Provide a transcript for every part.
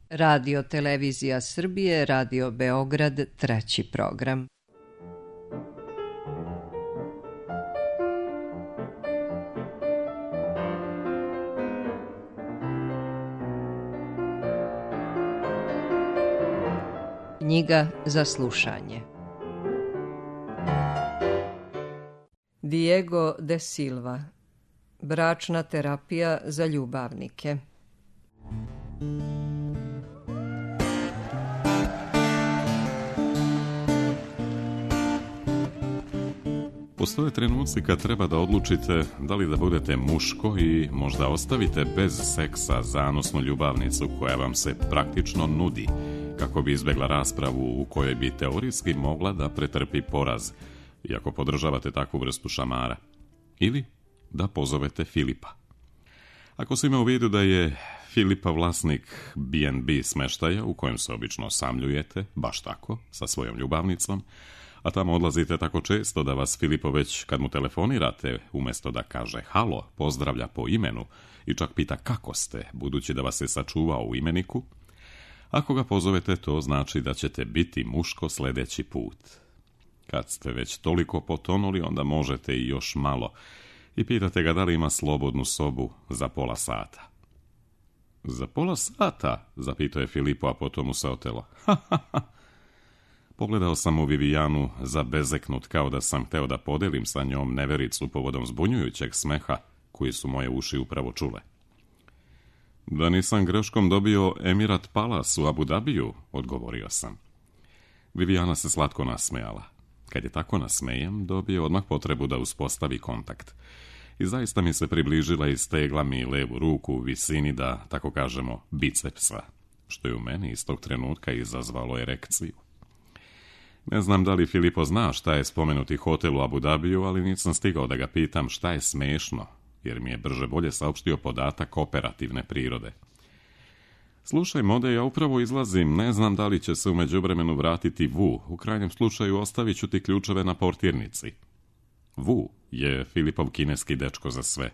Radio Televizija Srbije, Radio Beograd, treći program. Knjiga za slušanje. Diego de Silva. Bračna terapija za ljubavnike. Postoje trenuci kad treba da odlučite da li da budete muško i možda ostavite bez seksa zanosnu ljubavnicu koja vam se praktično nudi, kako bi izbjegla raspravu u kojoj bi teorijski mogla da pretrpi poraz, iako podržavate takvu vrstu šamara. Ili da pozovete Filipa. Ako se ima u vidu da je Filipa vlasnik B&B smeštaja u kojem se obično osamljujete, baš tako, sa svojom ljubavnicom, a tamo odlazite tako često da vas Filipo već kad mu telefonirate, umjesto da kaže halo, pozdravlja po imenu i čak pita kako ste, budući da vas je sačuvao u imeniku, ako ga pozovete, to znači da ćete biti muško sljedeći put. Kad ste već toliko potonuli, onda možete i još malo i pitate ga da li ima slobodnu sobu za pola sata. Za pola sata? Zapitao je Filipo, a potom mu se otelo. Pogledao sam u Vivijanu zabezeknut kao da sam hteo da podelim sa njom nevericu povodom zbunjujućeg smeha koji su moje uši upravo čule. Da nisam greškom dobio Emirat Palace u Abu Dhabiju, odgovorio sam. Vivijana se slatko nasmejala. Kad je tako nasmejem, dobio odmah potrebu da uspostavi kontakt. I zaista mi se približila i stegla mi levu ruku u visini da, tako kažemo, bicepsa, što je u meni iz tog trenutka izazvalo erekciju. Ne znam da li Filipo zna šta je spomenuti hotel u Abu Dhabiju, ali nisam stigao da ga pitam šta je smešno, jer mi je brže bolje saopštio podatak operativne prirode. Slušaj, Mode, ja upravo izlazim, ne znam da li će se u međuvremenu vratiti Vu, u krajnjem slučaju ostavit ću ti ključeve na portirnici. Vu je Filipov kineski dečko za sve.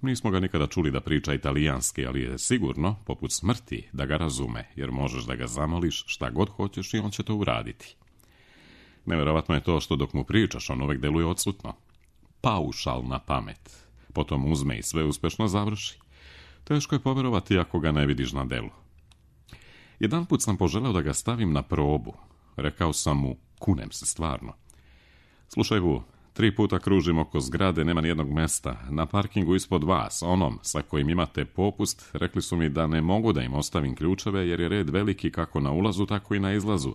Nismo ga nikada čuli da priča italijanski, ali je sigurno, poput smrti, da ga razume, jer možeš da ga zamoliš šta god hoćeš i on će to uraditi. Nevjerovatno je to što dok mu pričaš, on uvek deluje odsutno. Paušalna pamet. Potom uzme i sve uspešno završi. Teško je poverovati ako ga ne vidiš na delu. Jedanput sam poželeo da ga stavim na probu. Rekao sam mu, kunem se stvarno. Slušaj, Vu, 3 puta kružim oko zgrade, nema nijednog mesta. Na parkingu ispod vas, onom sa kojim imate popust, rekli su mi da ne mogu da im ostavim ključeve jer je red veliki kako na ulazu, tako i na izlazu.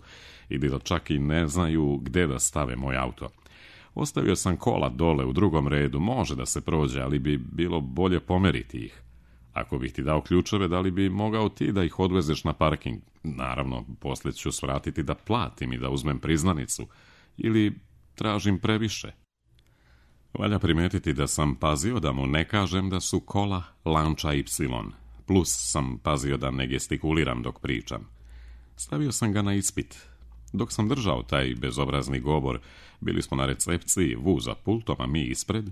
I da čak i ne znaju gde da stave moj auto. Ostavio sam kola dole u drugom redu, može da se prođe, ali bi bilo bolje pomeriti ih. Ako bih ti dao ključeve, da li bi mogao ti da ih odvezeš na parking? Naravno, poslije ću svratiti da platim i da uzmem priznanicu. Ili tražim previše. Valja primetiti da sam pazio da mu ne kažem da su kola Lancia Y. Plus sam pazio da ne gestikuliram dok pričam. Stavio sam ga na ispit. Dok sam držao taj bezobrazni govor, bili smo na recepciji, Vu za pultom, a mi ispred.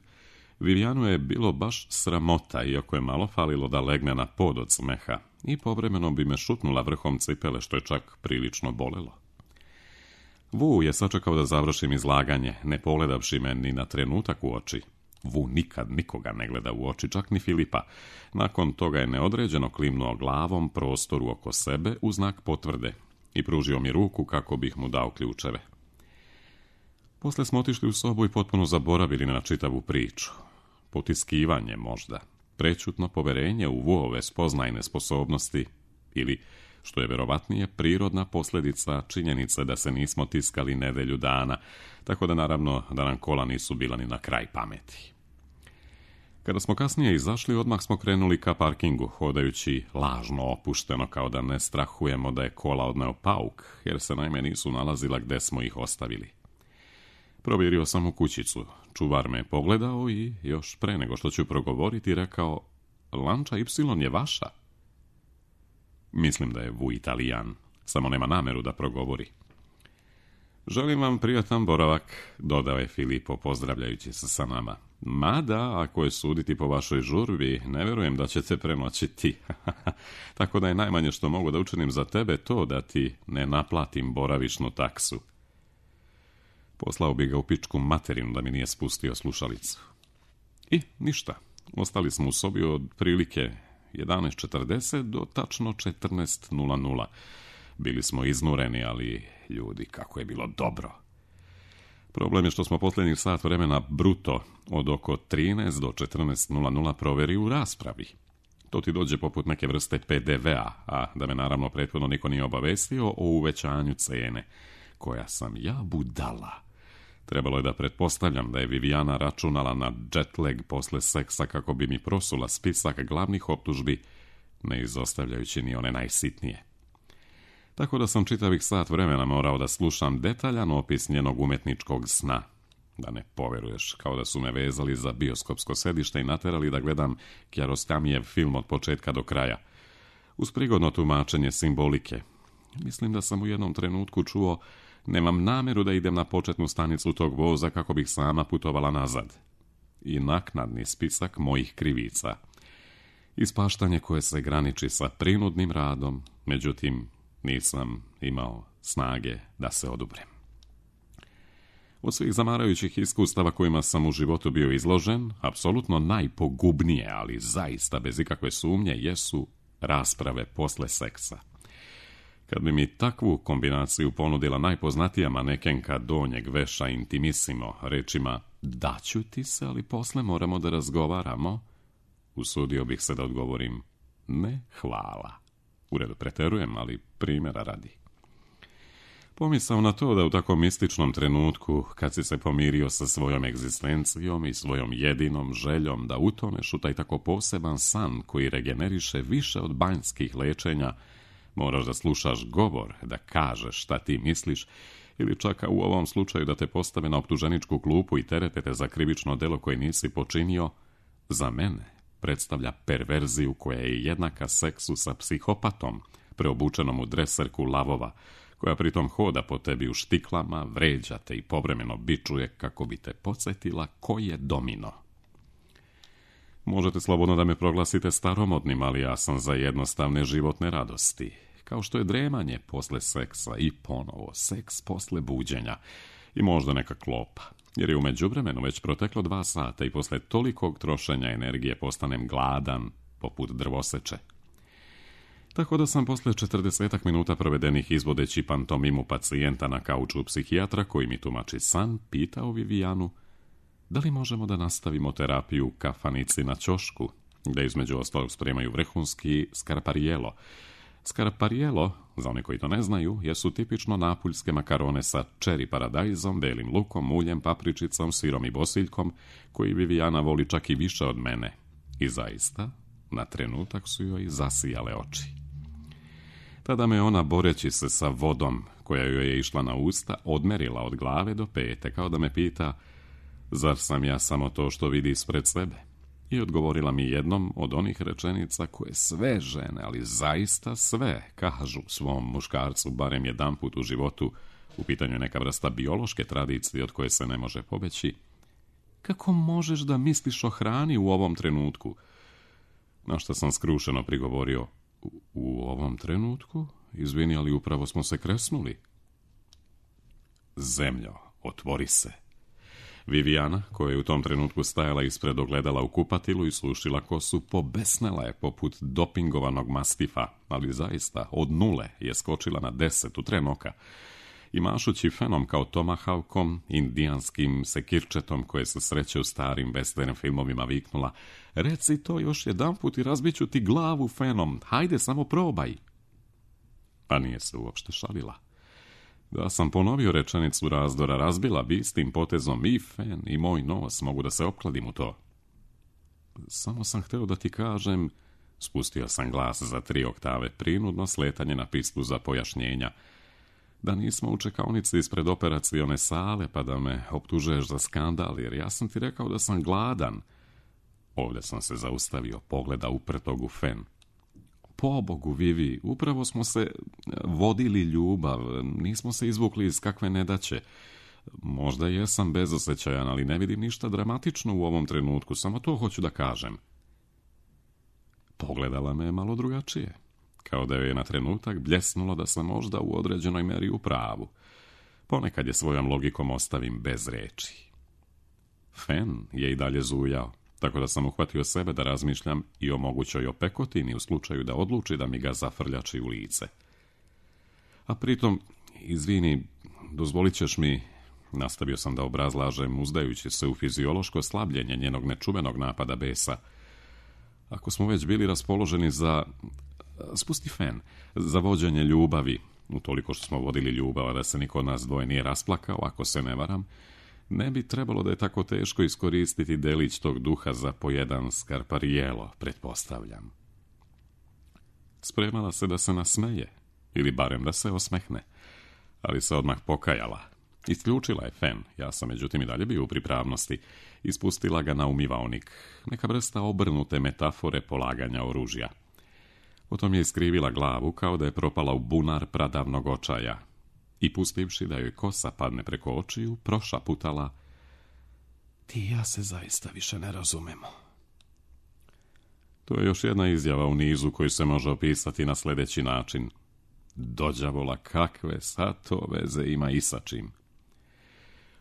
Vivijanu je bilo baš sramota, iako je malo falilo da legne na pod od smeha i povremeno bi me šutnula vrhom cipele, što je čak prilično bolelo. Vu je sačekao da završim izlaganje, ne pogledavši me ni na trenutak u oči. Vu nikad nikoga ne gleda u oči, čak ni Filipa. Nakon toga je neodređeno klimnuo glavom prostoru oko sebe u znak potvrde i pružio mi ruku kako bih mu dao ključeve. Posle smo otišli u sobu i potpuno zaboravili na čitavu priču. Potiskivanje možda, prećutno poverenje u Vuove spoznajne sposobnosti ili, što je verovatnije, prirodna posljedica činjenice da se nismo tiskali nedelju dana, tako da naravno da nam kola nisu bila ni na kraj pameti. Kada smo kasnije izašli, odmah smo krenuli ka parkingu, hodajući lažno opušteno kao da ne strahujemo da je kola odneo pauk, jer se naime nisu nalazila gde smo ih ostavili. Provjerio sam u kućicu, čuvar me je pogledao i još pre nego što ću progovoriti rekao, Lancia Y je vaša? Mislim da je Vu Italijan, samo nema nameru da progovori. Želim vam prijatan boravak, dodao je Filipo pozdravljajući se sa nama. Mada, ako je suditi po vašoj žurbi, ne vjerujem da ćete prenoćiti. Tako da je najmanje što mogu da učinim za tebe to da ti ne naplatim boravišnu taksu. Poslao bi ga u pičku materinu da mi nije spustio slušalicu. I ništa. Ostali smo u sobi od prilike 11:40 do tačno 14:00. Bili smo iznureni, ali ljudi, kako je bilo dobro. Problem je što smo posljednjih sat vremena bruto od oko 13 do 14:00 proveri u raspravi. To ti dođe poput neke vrste PDV-a, a da me naravno prethodno niko nije obavestio o uvećanju cene, koja sam ja budala. Trebalo je da pretpostavljam da je Vivijana računala na jetlag posle seksa kako bi mi prosula spisak glavnih optužbi, ne izostavljajući ni one najsitnije. Tako da sam čitavih sat vremena morao da slušam detaljan opis njenog umetničkog sna. Da ne poveruješ, kao da su me vezali za bioskopsko sedište i naterali da gledam Kjarostamijev film od početka do kraja. Uz prigodno tumačenje simbolike. Mislim da sam u jednom trenutku čuo: nemam namjeru da idem na početnu stanicu tog voza kako bih sama putovala nazad. I naknadni spisak mojih krivica. Ispaštanje koje se graniči sa prinudnim radom, međutim, nisam imao snage da se oduprem. Od svih zamarajućih iskustava kojima sam u životu bio izložen, apsolutno najpogubnije, ali zaista bez ikakve sumnje, jesu rasprave posle seksa. Kad bi mi takvu kombinaciju ponudila najpoznatija manekenka donjeg veša Intimissimo rečima daću ti se, ali posle moramo da razgovaramo, usudio bih se da odgovorim ne hvala. U redu, preterujem, ali primjera radi. Pomisao na to da u tako mističnom trenutku, kad si se pomirio sa svojom egzistencijom i svojom jedinom željom da utoneš u taj tako poseban san koji regeneriše više od banjskih lečenja, moraš da slušaš govor, da kažeš šta ti misliš, ili čak u ovom slučaju da te postave na optuženičku klupu i terete te za krivično delo koje nisi počinio, za mene predstavlja perverziju koja je jednaka seksu sa psihopatom, preobučenom u dreserku lavova, koja pritom hoda po tebi u štiklama, vređa te i povremeno bičuje kako bi te podsjetila ko je domino. Možete slobodno da me proglasite staromodnim, ali ja sam za jednostavne životne radosti, kao što je dremanje posle seksa i ponovo seks posle buđenja i možda neka klopa, jer je u međuvremenu već proteklo 2 sata i posle tolikog trošenja energije postanem gladan poput drvoseče. Tako da sam posle 40 minuta provedenih izvodeći pantomimu pacijenta na kauču psihijatra koji mi tumači san, pitao Vivijanu da li možemo da nastavimo terapiju u kafanici na ćošku, gde između ostalog spremaju vrhunski skarparijelo. Skarparijelo, za one koji to ne znaju, jesu tipično napuljske makarone sa čeri paradajzom, belim lukom, uljem, papričicom, sirom i bosiljkom, koji Vivijana voli čak i više od mene. I zaista, na trenutak su joj zasijale oči. Tada me ona, boreći se sa vodom koja joj je išla na usta, odmerila od glave do pete, kao da me pita zar sam ja samo to što vidi ispred sebe? I odgovorila mi jednom od onih rečenica koje sve žene, ali zaista sve, kažu svom muškarcu barem jedanput u životu. U pitanju je neka vrsta biološke tradicije od koje se ne može pobeći. Kako možeš da misliš o hrani u ovom trenutku? Na što sam skrušeno prigovorio: u ovom trenutku? Izvini, ali upravo smo se kresnuli. Zemljo, otvori se. Vivijana, koja je u tom trenutku stajala ispred ogledala u kupatilu i slušila kosu, pobesnela je poput dopingovanog mastifa, ali zaista od 0 je skočila na 10 u tren oka i mašući fenom kao tomahawkom, indijanskim sekirčetom koje se sreće u starim western filmovima, viknula: reci to još jedanput i razbiću ti glavu fenom, hajde samo probaj. A nije se uopšte šalila. Da sam ponovio rečenicu razdora, razbila bi s tim potezom i fen i moj nos, mogu da se opkladim u to. Samo sam hteo da ti kažem, spustio sam glas za 3 oktave, prinudno sletanje na pistu za pojašnjenja, da nismo u čekaonici ispred operacione sale pa da me optužuješ za skandal, jer ja sam ti rekao da sam gladan. Ovdje sam se zaustavio, pogleda uprtog u fen. Pobogu, Vivi, upravo smo se vodili ljubav, nismo se izvukli iz kakve nedaće. Možda jesam bezosjećajan, ali ne vidim ništa dramatično u ovom trenutku, samo to hoću da kažem. Pogledala me malo drugačije, kao da joj je na trenutak bljesnulo da sam možda u određenoj meri u pravu. Ponekad je svojom logikom ostavim bez reči. Fen je i dalje zujao, tako da sam uhvatio sebe da razmišljam i o mogućoj opekotini u slučaju da odluči da mi ga zafrljači u lice. A pritom, izvini, dozvolit ćeš mi, nastavio sam da obrazlažem, uzdajući se u fiziološko slabljenje njenog nečuvenog napada besa. Ako smo već bili raspoloženi za, spusti Fen, za vođenje ljubavi, utoliko što smo vodili ljubav, a da se niko od nas dvoje nije rasplakao, ako se ne varam, ne bi trebalo da je tako teško iskoristiti delić tog duha za po jedan skarparijelo, pretpostavljam. Spremala se da se nasmeje, ili barem da se osmehne, ali se odmah pokajala. Isključila je Fen, ja sam međutim i dalje bio u pripravnosti, ispustila ga na umivaonik, neka vrsta obrnute metafore polaganja oružja. Potom je iskrivila glavu kao da je propala u bunar pradavnog očaja i pustivši da joj kosa padne preko očiju, prošaputala: ti i ja se zaista više ne razumemo. To je još jedna izjava u nizu koji se može opisati na sljedeći način: dođavola, kakve sad to veze ima i sa čim.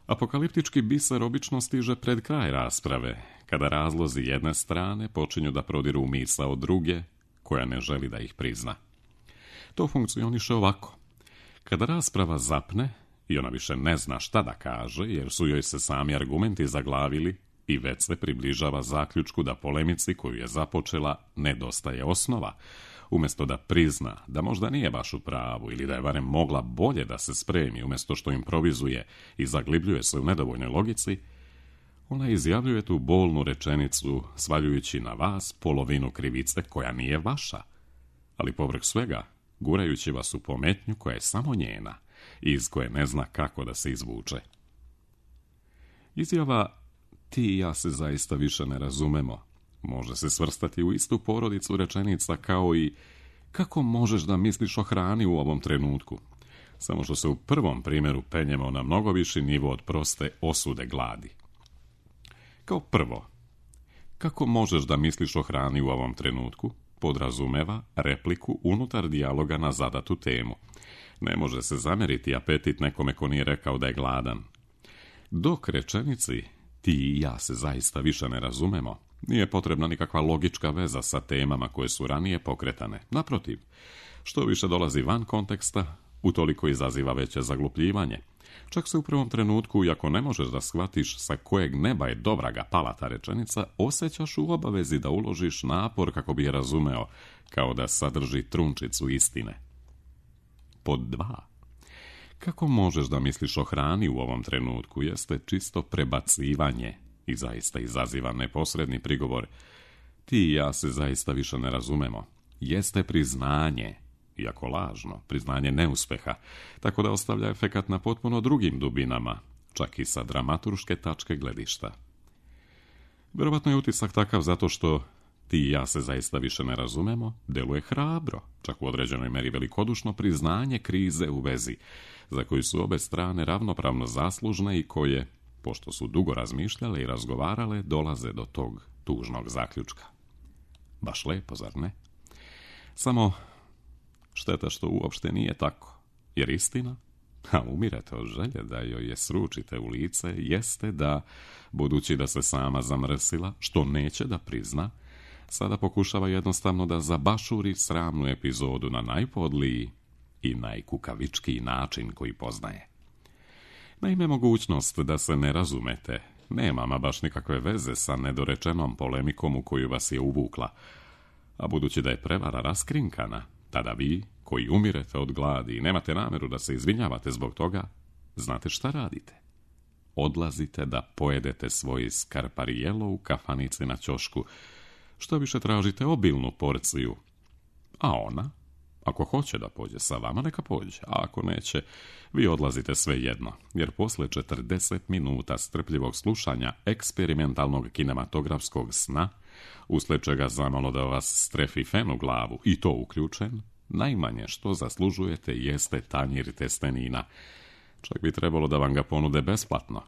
Apokaliptički biser obično stiže pred kraj rasprave, kada razlozi jedne strane počinju da prodiru u misao druge, koja ne želi da ih prizna. To funkcioniše ovako: kada rasprava zapne i ona više ne zna šta da kaže, jer su joj se sami argumenti zaglavili i već se približava zaključku da polemici koju je započela nedostaje osnova, umjesto da prizna da možda nije baš u pravu ili da je barem mogla bolje da se spremi umjesto što improvizuje i zaglibljuje se u nedovoljnoj logici, ona izjavljuje tu bolnu rečenicu svaljujući na vas polovinu krivice koja nije vaša, ali povrh svega gurajući vas u pometnju koja je samo njena i iz koje ne zna kako da se izvuče. Izjava ti i ja se zaista više ne razumemo može se svrstati u istu porodicu rečenica kao i kako možeš da misliš o hrani u ovom trenutku, samo što se u prvom primjeru penjemo na mnogo viši nivo od proste osude gladi. Kao prvo, kako možeš da misliš o hrani u ovom trenutku podrazumeva repliku unutar dijaloga na zadatu temu. Ne može se zamjeriti apetit nekome ko nije rekao da je gladan. Dok rečenici ti i ja se zaista više ne razumemo, nije potrebna nikakva logička veza sa temama koje su ranije pokretane. Naprotiv, što više dolazi van konteksta, utoliko izaziva veće zaglupljivanje. Čak se u prvom trenutku, iako ne možeš da shvatiš sa kojeg neba je dobra ga pala ta rečenica, osjećaš u obavezi da uložiš napor kako bi je razumeo, kao da sadrži trunčicu istine. Pod 2. Kako možeš da misliš o hrani u ovom trenutku jeste čisto prebacivanje i zaista izaziva neposredni prigovor. Ti i ja se zaista više ne razumemo. Jeste priznanje, iako lažno, priznanje neuspeha, tako da ostavlja efekat na potpuno drugim dubinama, čak i sa dramaturške tačke gledišta. Vjerovatno je utisak takav zato što ti i ja se zaista više ne razumemo, deluje hrabro, čak u određenoj meri velikodušno priznanje krize u vezi, za koju su obe strane ravnopravno zaslužne i koje, pošto su dugo razmišljale i razgovarale, dolaze do tog tužnog zaključka. Baš lepo, zar ne? Samo šteta što uopšte nije tako, jer istina, a umirete od želje da joj je sručite u lice, jeste da, budući da se sama zamrsila, što neće da prizna, sada pokušava jednostavno da zabašuri sramnu epizodu na najpodliji i najkukavičkiji način koji poznaje. Naime, mogućnost da se ne razumete nema ama baš nikakve veze sa nedorečenom polemikom u koju vas je uvukla, a budući da je prevara raskrinkana, tada vi, koji umirete od gladi i nemate namjeru da se izvinjavate zbog toga, znate šta radite? Odlazite da pojedete svoj skarparijelo u kafanici na ćošku, što više tražite obilnu porciju, a ona, ako hoće da pođe sa vama, neka pođe, a ako neće, vi odlazite svejedno, jer posle 40 minuta strpljivog slušanja eksperimentalnog kinematografskog sna, usled čega zamalo da vas strefi fen u glavu, i to uključen, najmanje što zaslužujete jeste tanjir testenina. Čak bi trebalo da vam ga ponude besplatno.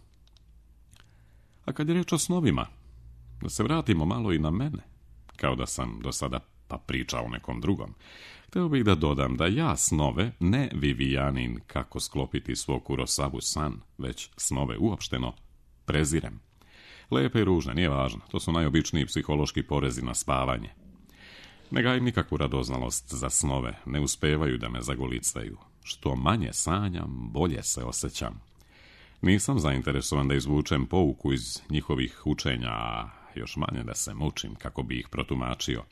A kad je riječ o snovima, da se vratimo malo i na mene, kao da sam do sada pa pričao o nekom drugom. Hteo bih da dodam da ja snove, ne Vivijanin kako sklopiti svog Kurosavu san, već snove uopšteno prezirem. Lepe i ružne, nije važno, to su najobičniji psihološki porezi na spavanje. Ne gajim nikakvu radoznalost za snove, ne uspevaju da me zagolicaju. Što manje sanjam, bolje se osjećam. Nisam zainteresovan da izvučem pouku iz njihovih učenja, a još manje da se mučim kako bi ih protumačio.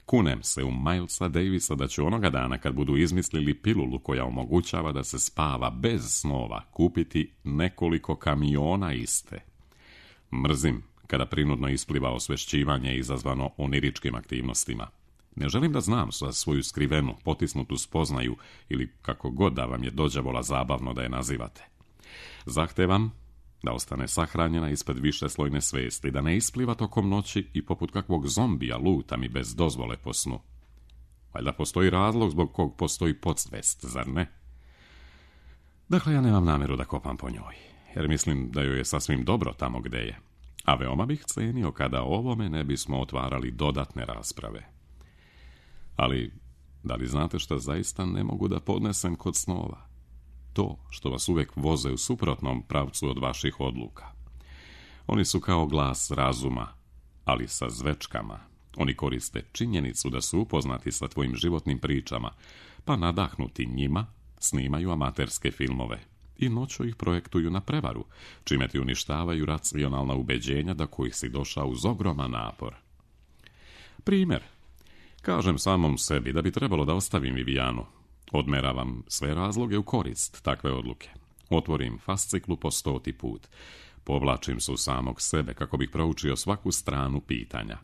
Kunem se u Milesa Davisa da ću onoga dana kad budu izmislili pilulu koja omogućava da se spava bez snova kupiti nekoliko kamiona iste. Mrzim kada prinudno ispliva osvešćivanje izazvano oniričkim aktivnostima. Ne želim da znam za svoju skrivenu, potisnutu spoznaju ili kako god da vam je dođavola zabavno da je nazivate. Zahtevam da ostane sahranjena ispred višeslojne svesti, da ne ispliva tokom noći i poput kakvog zombija luta mi bez dozvole po snu. Valjda postoji razlog zbog kog postoji podsvest, zar ne? Dakle, ja nemam namjeru da kopam po njoj, jer mislim da joj je sasvim dobro tamo gde je. A veoma bih cenio kada o ovome ne bismo otvarali dodatne rasprave. Ali, da li znate šta zaista ne mogu da podnesem kod snova? To što vas uvek voze u suprotnom pravcu od vaših odluka. Oni su kao glas razuma, ali sa zvečkama. Oni koriste činjenicu da su upoznati sa tvojim životnim pričama, pa nadahnuti njima snimaju amaterske filmove i noću ih projektuju na prevaru, čime ti uništavaju racionalna ubeđenja do kojih si došao uz ogroman napor. Primjer. Kažem samom sebi da bi trebalo da ostavim Vivijanu. Odmeravam sve razloge u korist takve odluke. Otvorim fasciklu po 100. put. Povlačim se u samog sebe kako bih proučio svaku stranu pitanja.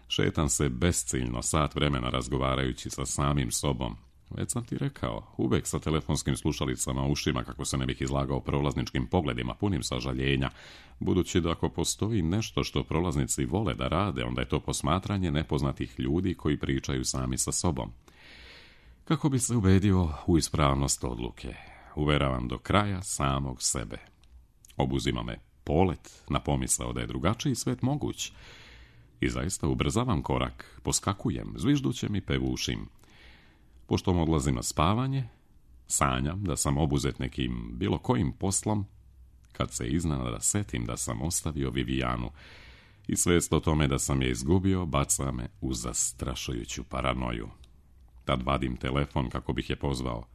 Šetam se besciljno sat vremena razgovarajući sa samim sobom. Već sam ti rekao, uvek sa telefonskim slušalicama u ušima kako se ne bih izlagao prolazničkim pogledima punim sažaljenja, budući da ako postoji nešto što prolaznici vole da rade, onda je to posmatranje nepoznatih ljudi koji pričaju sami sa sobom. Kako bi se ubedio u ispravnost odluke, uveravam do kraja samog sebe. Obuzima me polet na pomisao da je drugačiji svet moguć. I zaista ubrzavam korak, poskakujem, zviždućem i pevušim. Pošto odlazim na spavanje, sanjam da sam obuzet nekim bilo kojim poslom, kad se iznenada setim da sam ostavio Vivijanu i svest o tome da sam je izgubio baca me u zastrašujuću paranoju. Tad vadim telefon kako bih je pozvao,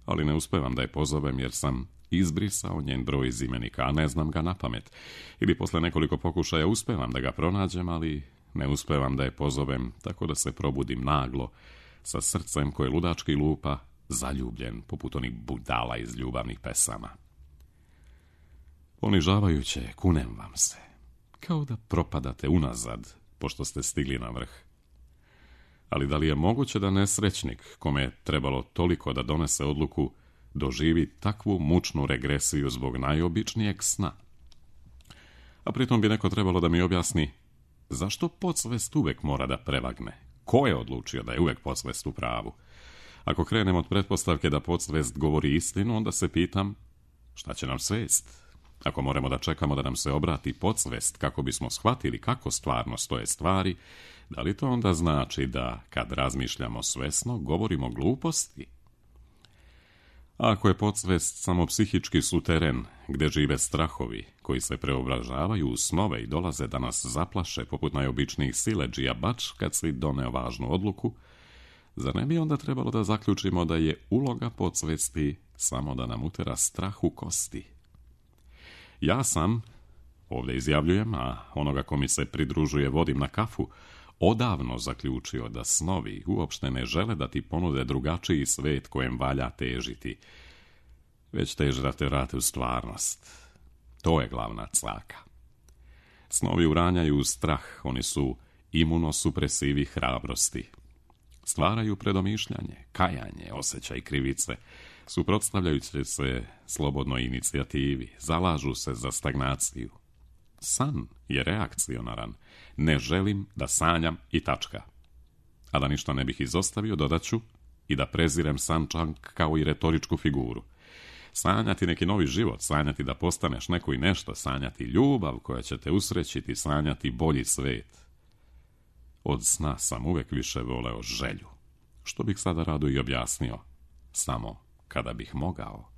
ali ne uspevam da je pozovem jer sam izbrisao njen broj iz imenika, a ne znam ga napamet. Ili posle nekoliko pokušaja uspevam da ga pronađem, ali ne uspevam da je pozovem, tako da se probudim naglo, sa srcem koje ludački lupa, zaljubljen, poput onih budala iz ljubavnih pesama. Ponižavajuće, kunem vam se, kao da propadate unazad, pošto ste stigli na vrh. Ali da li je moguće da nesrećnik, kome je trebalo toliko da donese odluku, doživi takvu mučnu regresiju zbog najobičnijeg sna? A pritom bi neko trebalo da mi objasni zašto podsvest uvek mora da prevagne. Ko je odlučio da je uvek podsvest u pravu? Ako krenem od pretpostavke da podsvest govori istinu, onda se pitam šta će nam svest? Ako moramo da čekamo da nam se obrati podsvest kako bismo shvatili kako stvarno stoje stvari, da li to onda znači da, kad razmišljamo svesno, govorimo gluposti? A ako je podsvest samo psihički suteren, gde žive strahovi, koji se preobražavaju u snove i dolaze da nas zaplaše poput najobičnijih siledžija bač kad si doneo važnu odluku, zar ne bi onda trebalo da zaključimo da je uloga podsvesti samo da nam utera strah u kosti? Ja sam, ovdje izjavljujem, a onoga ko mi se pridružuje vodim na kafu, odavno zaključio da snovi uopšte ne žele da ti ponude drugačiji svet kojem valja težiti, već teže da te vrate u stvarnost. To je glavna caka. Snovi uranjaju u strah, oni su imunosupresivi hrabrosti. Stvaraju predomišljanje, kajanje, osjećaj krivice, suprotstavljajući se slobodnoj inicijativi, zalažu se za stagnaciju. san je reakcionaran. Ne želim da sanjam i tačka. A da ništa ne bih izostavio, dodaću i da prezirem san čak kao i retoričku figuru. Sanjati neki novi život, sanjati da postaneš neko i nešto, sanjati ljubav koja će te usrećiti, sanjati bolji svet. Od sna sam uvek više voleo želju, što bih sada rado i objasnio, samo kada bih mogao.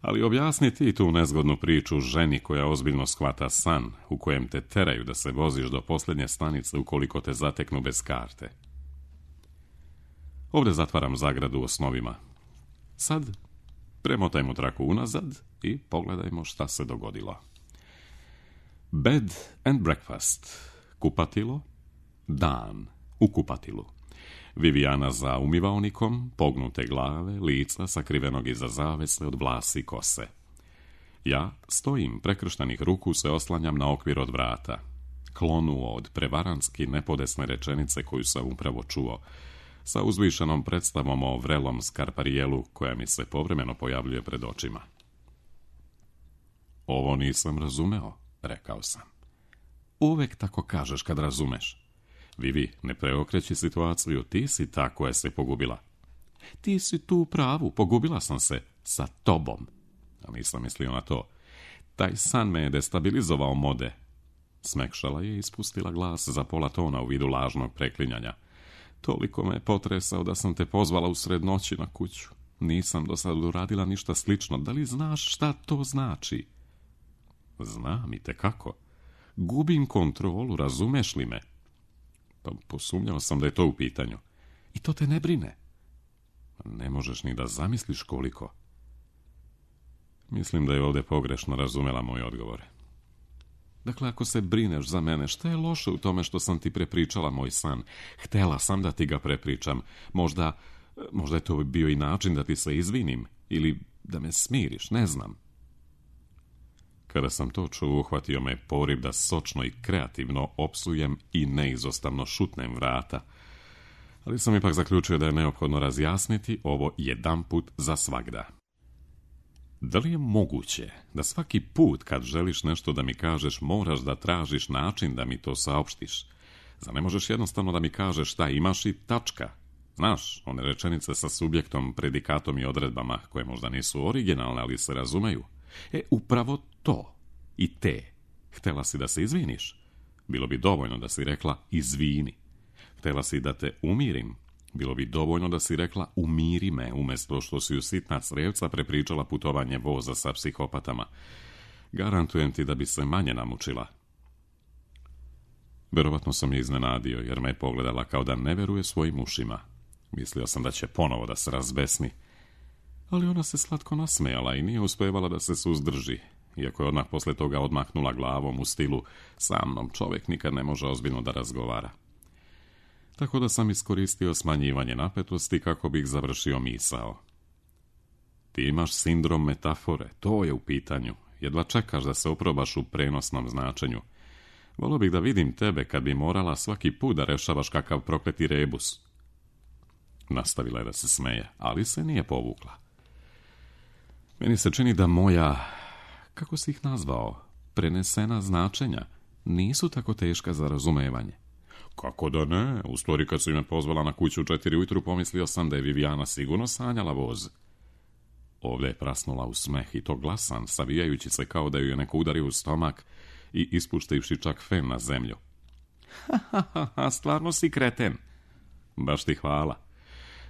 Ali objasni ti tu nezgodnu priču ženi koja ozbiljno shvata san, u kojem te teraju da se voziš do posljednje stanice ukoliko te zateknu bez karte. Ovdje zatvaram zagradu u osnovima. Sad premotajmo traku unazad i pogledajmo šta se dogodilo. Bed and breakfast. Kupatilo. Dan u kupatilu. Vivijana za umivaonikom, pognute glave, lica sakrivenog iza zavese od vlasi i kose. Ja stojim, prekrštenih ruku se oslanjam na okvir od vrata. Klonuo od prevaranski nepodesne rečenice koju sam upravo čuo, sa uzvišenom predstavom o vrelom skarparijelu koja mi se povremeno pojavljuje pred očima. Ovo nisam razumeo, rekao sam. Uvek tako kažeš kad razumeš. Vivi, ne preokreći situaciju, ti si ta koja se pogubila. Ti si tu u pravu, pogubila sam se sa tobom. A nisam mislio na to. Taj san me je destabilizovao, Mode. Smekšala je i ispustila glas za pola tona u vidu lažnog preklinjanja. Toliko me je potresao da sam te pozvala usred noći na kuću. Nisam do sad uradila ništa slično. Da li znaš šta to znači? Znam i tekako. Gubim kontrolu, razumeš li me? Pa posumnjao sam da je to u pitanju. I to te ne brine? Ne možeš ni da zamisliš koliko. Mislim da je ovdje pogrešno razumela moj odgovor. Dakle, ako se brineš za mene, šta je loše u tome što sam ti prepričala moj san? Htela sam da ti ga prepričam. Možda je to bio i način da ti se izvinim. Ili da me smiriš, ne znam. Kada sam to čuo, uhvatio me poriv da sočno i kreativno opsujem i neizostavno šutnem vrata. Ali sam ipak zaključio da je neophodno razjasniti ovo jedanput za svagda. Da li je moguće da svaki put kad želiš nešto da mi kažeš moraš da tražiš način da mi to saopštiš? Zar ne možeš jednostavno da mi kažeš šta imaš i tačka? Znaš, one rečenice sa subjektom, predikatom i odredbama koje možda nisu originalne, ali se razumeju. Upravo to i te. Htela si da se izviniš? Bilo bi dovoljno da si rekla izvini. Htela si da te umirim? Bilo bi dovoljno da si rekla umiri me, umjesto što si u sitna crevca prepričala putovanje voza sa psihopatama. Garantujem ti da bi se manje namučila. Verovatno sam je iznenadio, jer me je pogledala kao da ne veruje svojim ušima. Mislio sam da će ponovo da se razbesni. Ali ona se slatko nasmejala i nije uspevala da se suzdrži, iako je odmah posle toga odmahnula glavom u stilu sa mnom čovjek nikad ne može ozbiljno da razgovara. Tako da sam iskoristio smanjivanje napetosti kako bih završio misao. Ti imaš sindrom metafore, to je u pitanju. Jedva čekaš da se oprobaš u prenosnom značenju. Volio bih da vidim tebe kad bi morala svaki put da rešavaš kakav prokleti rebus. Nastavila je da se smeje, ali se nije povukla. Meni se čini da moja, kako si ih nazvao, prenesena značenja nisu tako teška za razumevanje. Kako da ne? U stvari kad su me pozvala na kuću u 4 ujutru pomislio sam da je Vivijana sigurno sanjala voz. Ovdje je prasnula u smeh i to glasan, savijajući se kao da ju je neko udario u stomak i ispuštivši čak fen na zemlju. Ha, stvarno si kreten. Baš ti hvala.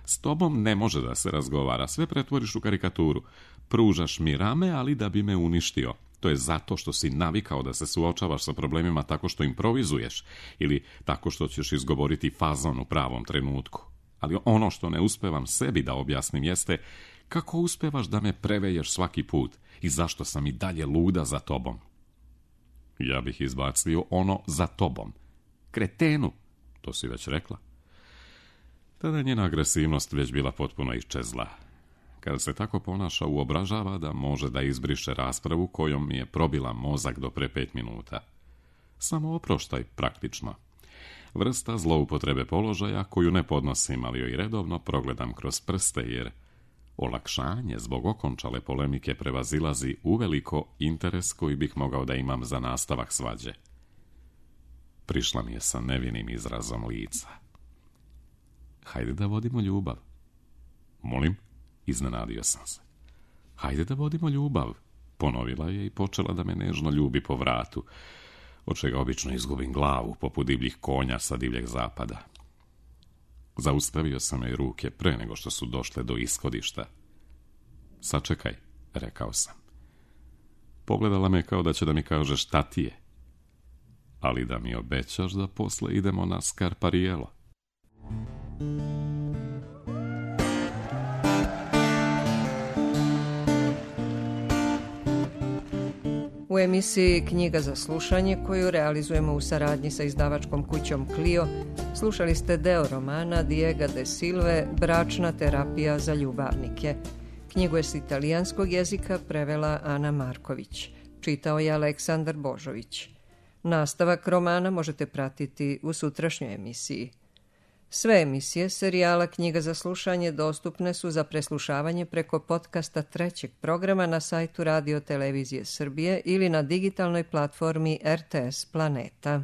S tobom ne može da se razgovara, sve pretvoriš u karikaturu. Pružaš mi rame, ali da bi me uništio. To je zato što si navikao da se suočavaš sa problemima tako što improvizuješ ili tako što ćeš izgovoriti fazon u pravom trenutku. Ali ono što ne uspevam sebi da objasnim jeste kako uspevaš da me preveješ svaki put i zašto sam i dalje luda za tobom. Ja bih izbacio ono za tobom. Kretenu, to si već rekla. Tada je njena agresivnost već bila potpuno iščezla. Kad se tako ponaša, uobražava da može da izbriše raspravu kojom mi je probila mozak do pre 5 minuta. Samo oproštaj, praktično. Vrsta zloupotrebe položaja koju ne podnosim, ali joj redovno progledam kroz prste, jer olakšanje zbog okončale polemike prevazilazi uveliko interes koji bih mogao da imam za nastavak svađe. Prišla mi je sa nevinim izrazom lica. Hajde da vodimo ljubav. Molim, iznenadio sam se. Hajde da vodimo ljubav, ponovila je i počela da me nežno ljubi po vratu, od čega obično izgubim glavu poput divljih konja sa divljeg zapada. Zaustavio sam joj ruke pre nego što su došle do ishodišta. Sačekaj, rekao sam. Pogledala me kao da će da mi kaže šta ti je, ali da mi obećaš da posle idemo na Scarpariello. U emisiji Knjiga za slušanje, koju realizujemo u saradnji sa izdavačkom kućom Clio, slušali ste deo romana Diega de Silve Bračna terapija za ljubavnike. Knjigu je s italijanskog jezika prevela Ana Marković. Čitao je Aleksandar Božović. Nastavak romana možete pratiti u sutrašnjoj emisiji. Sve emisije serijala Knjiga za slušanje dostupne su za preslušavanje preko podcasta trećeg programa na sajtu Radio Televizije Srbije ili na digitalnoj platformi RTS Planeta.